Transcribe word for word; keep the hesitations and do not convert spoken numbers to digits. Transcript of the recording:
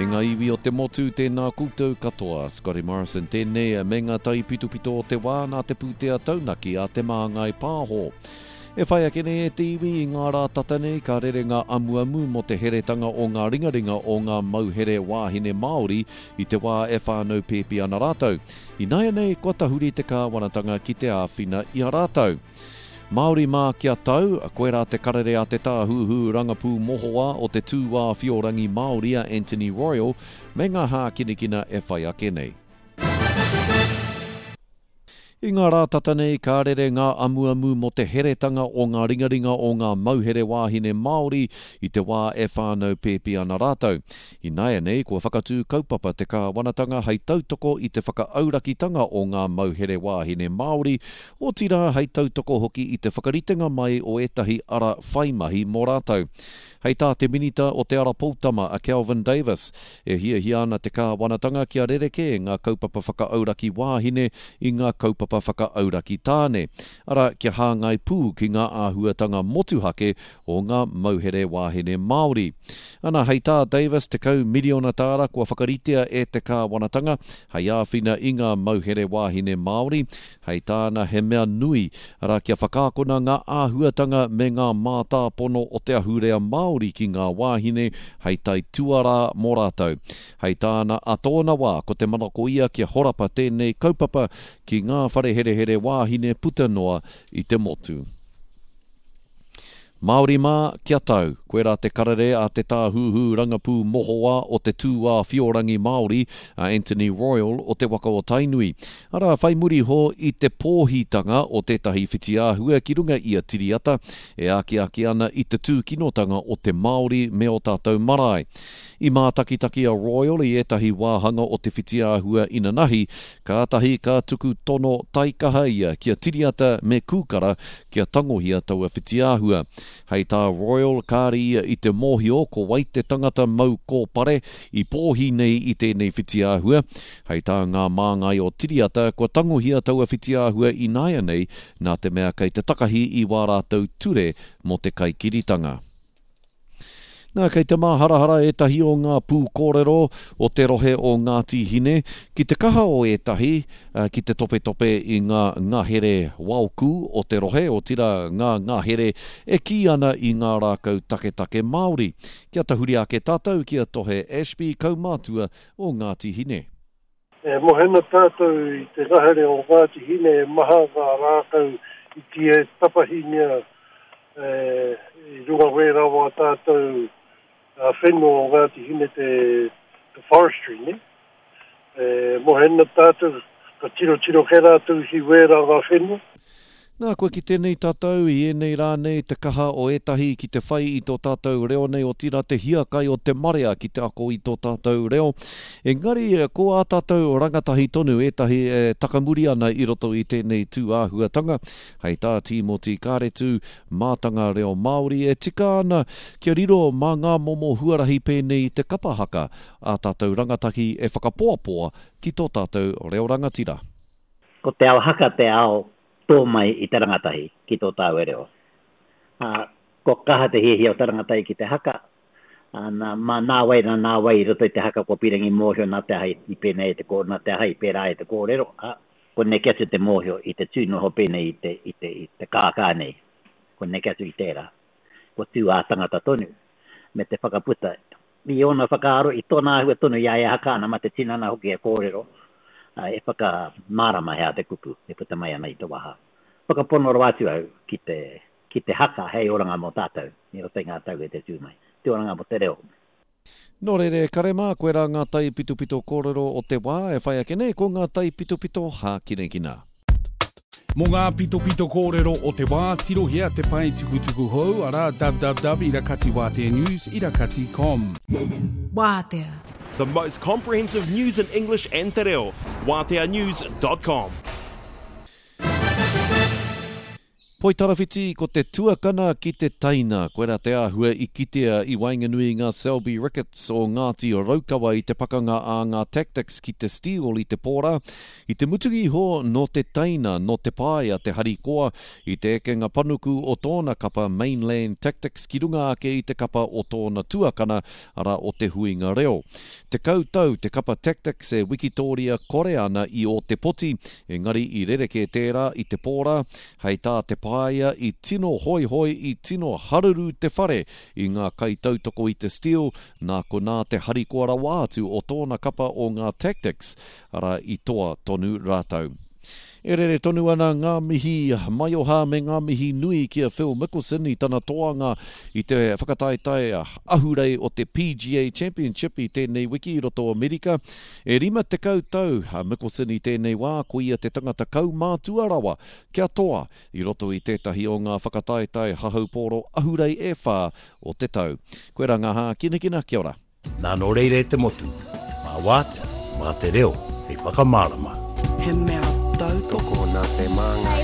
E ngā iwi o te motu, tēnā koutou katoa. Scotty Morrison tēnei me ngā taipitopito o te wā nā te pūtea taunaki a Te Māngai Pāho. E whai ake nei e te iwi i ngā rā tata nei ka rere ngā amuamu mō te heretanga o ngā ringaringa o ngā mauhere wāhine Māori i te wā e whānau pēpi ana rātou. Ināianei kua tahuri te kāwanatanga ki te āwhina i a rātou. Māori mā kia tau, koirā te karere a te tāhuhu rangapū mohoa o te tūāwhiorangi Māori a Anthony Royal me ngā hākinakina e whai ake nei. I ngā rā tata nei ka rere ngā amuamu mō te heretanga o ngā ringaringa o ngā mauhere wāhine Māori i te wā e whānau pēpi ana rātou. Ināianei kua whakatū kaupapa te kāwanatanga hei tautoko i te whakaaurakitanga o ngā mauhere wāhine Māori, otirā hei tautoko hoki i te whakaritenga mai o ētahi ara whai mahi mō rātou. Hei tā te minita o Te Ara Poutama a Kelvin Davis, e hiahia ana te kāwanatanga kia rerekē ngā kaupapa whakaauraki wāhine i ngā kaupapa whakaauraki tāne. Arā, kia hāngai pū ki ngā āhuatanga motuhake o ngā mauhere wāhine Māori. Ana, hei tā Davis, tekau miriona tāra kua whakaritea e te kāwanatanga hei āwhina i ngā mauhere wāhine Māori. Hei tāna he mea nui, arā, kia whakaakona ngā āhuatanga me ngā mātāpono o te ahurea Māori ki ngā wāhine hei tai tuarā mō rātou. Hei tāna a tōna wā, ko te manako ia kia horapa tēnei kaupapa ki ngā whareherehere wāhine puta noa i te motu. Māori mā, kia tau. Koirā te karere a te tāhuhu rangapū mohoa o te tūāwhiorangi Māori a Anthony Royal o te waka o Tainui. Arā, whai muri ho i te pōhitanga o tētahi whitiāhua ki runga i a Tiriata e akiaki ana i te tūkinotanga o te Māori me o tātou marae. I mātakitaki a Royal i ētahi wāhanga o te whitiāhua inanahi, kātahi ka tuku tono taikaha ia ki a Tiriata me Kūkara kia tangohia taua whitiāhua. Hei tā Royal, kāre ia i te mōhio ko wai te tangata mau kōpare i pōhi nei i tēnei whitiāhua. Hei tā ngā māngai o Tiriata, kua tangohia taua whitiāhua ināianei nā te mea kei te takahi i wā rātou ture mō te kaikiritanga. Nā, kei te māharahara ētahi o ngā pūkōrero o te rohe o Ngāti Hine ki te kaha o ētahi ki te topetope i ngā ngahere waoku o te rohe, otirā ngā ngahere e kī ana i ngā rākau taketake Māori. Kia tahuri ake tātou ki a Tohe Ashby, kaumātua o Ngāti Hine. E mohena tātou i te ngahere o Ngāti Hine e maha ngā rākau i tia tapahingia e, i runga wērā wā tātou a whenua o Ngāti Hine te, te forestry, ne? E, mohena tātou, ka tiro tiro ke rātou ki wērā ngā whenua. Nā, kua ki tēnei tātou i ēnei rā nei te kaha o ētahi ki te whai i tō tātou reo nei, otirā te hiakai o te marea ki te ako i tō tātou reo. Engari, ko ā tātou rangatahi tonu ētahi e takamuri ana i roto i tēnei tūāhuatanga. Hei tā Tīmoti Kāretu, mātanga reo Māori e tika ana kia riro mā ngā momo huarahi pēnei i te kapa haka ā tātou rangatahi e whakapoapoa ki tō tātou reo rangatira. Ko te ao haka te ao tō mai i te rangatahi ki tō tāua reo. Uh, ko kaha te hiahia o te rangatahi ki te haka, uh, nā, mā nā wai nā nā wai i roto i te haka kua pirangi mōhio nā te aha i pēnei te kō, nā te aha i pērā i te kōrero, uh, ko neke atu te mōhio i te tū noho pēnei i te, i te, i te kākā nei, ko neke atu i tērā. Ko tū ā tangata tonu, me te whakaputa. I ōna whakaaro, i tōna āhua tonu i a e haka ana, mā te tinana hoki e kōrero, e whakamārama hea te kupu, e puta mai ana i te waha. Whakapono rawa atu au ki te, ki te haka hei oranga mō tātou, i roto i ngā tau e te tū mai. Te oranga mō te reo. Nō reira, kare mā, koirā ngā taipitopito kōrero o te wā e whai ake nei, ko ngā taipitopito hākinakina. Mō ngā pitopito kōrero o te wā, tirohia te pae tukutuku hou, arā www irakati wātea news irakati com. Wātea. The most comprehensive news in English and te reo. wātea news dot com. Poitarawhiti ko te tuakana ki te teina, koirā te āhua i kitea i waenganui i ngā Selby Rickets o Ngāti Raukawa i te pakanga a ngā Tactix ki te Steel i te pōra. I te mutunga iho nō te teina, nō Te Paea te harikoa i te ekenga panuku o tōna kapa Mainland Tactix ki runga ake i te kapa o tōna tuakana, arā o Te Huinga Reo. Tekau tau te kapa Tactix e wikitōria kore ana i Ōtepoti, engari i rerekē tērā i te pōra, hei tā Te Paea i tino hoihoi, i tino haruru te whare i ngā kaitautoko i te Steel, nā konā te harikoa rawa atu o tōna kapa o ngā Tactix, arā i toa tonu rātou. E rere tonu ana ngā mihi maioha me ngā mihi nui ki a Phil Mickelson i tana toanga i te whakataetae ahurei o te P G A Championship i tēnei wiki i roto o Amerika. E rima tekau tau a Mickelson i tēnei wā, ko ia te tangata kaumātua rawa kia toa i roto i tētahi o ngā whakataetae hahaupōro ahurei e whā o te tau. Koe rā ngā hākinakina, kia ora. Nā nō reira e te motu, mā wātea, mā te reo, hei whakamārama. He mea tautoko nā te māngai.